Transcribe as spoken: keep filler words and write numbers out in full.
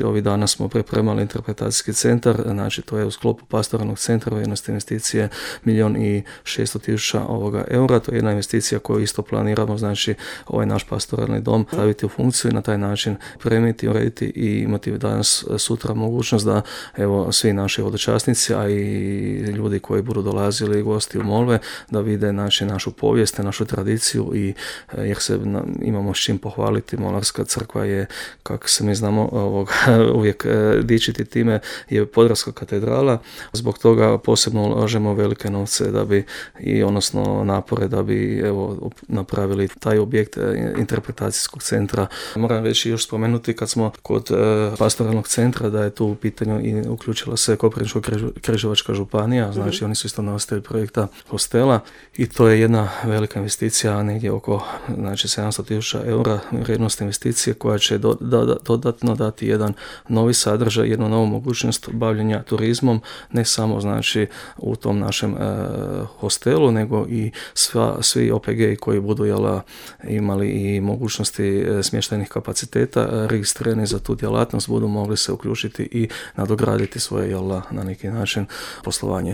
Ovih dana smo pripremali interpretacijski centar, znači to je u sklopu pastoralnog centra, vrijednost investicije milijun i šesto tisuća ovoga eura. To je jedna investicija koju isto planiramo, znači ovaj naš pastoralni dom staviti u funkciju i na taj način premiti, urediti i imati danas sutra mogućnost da evo svi naši hodočasnici, a i ljudi koji budu dolazili gosti u molve, da vide znači našu povijest, našu tradiciju i jer se imamo s čim pohvaliti. Molarska crkva je, kako se mi znamo, ovog uvijek dičiti time, je Podravska katedrala. Zbog toga posebno ulažemo velike novce da bi i odnosno napore da bi evo napravili taj objekt interpretacijskog centra. Moram reći još spomenuti kad smo kod pastoralnog centra da je tu u pitanju i uključila se Koprivničko-križevačka županija, znači mm-hmm. oni su isto nositelji projekta hostela i to je jedna velika investicija, negdje oko znači sedamsto tisuća eura vrijednost investicije koja će do, da, dodatno dati jedan novi sadržaj, jednu novu mogućnost bavljenja turizmom, ne samo znači u tom našem e, hostelu, nego i sva, svi O P G koji budu jela, imali i mogućnosti e, smještajnih kapaciteta, e, registrirani za tu djelatnost, budu mogli se uključiti i nadograditi svoje jela, na neki način poslovanje.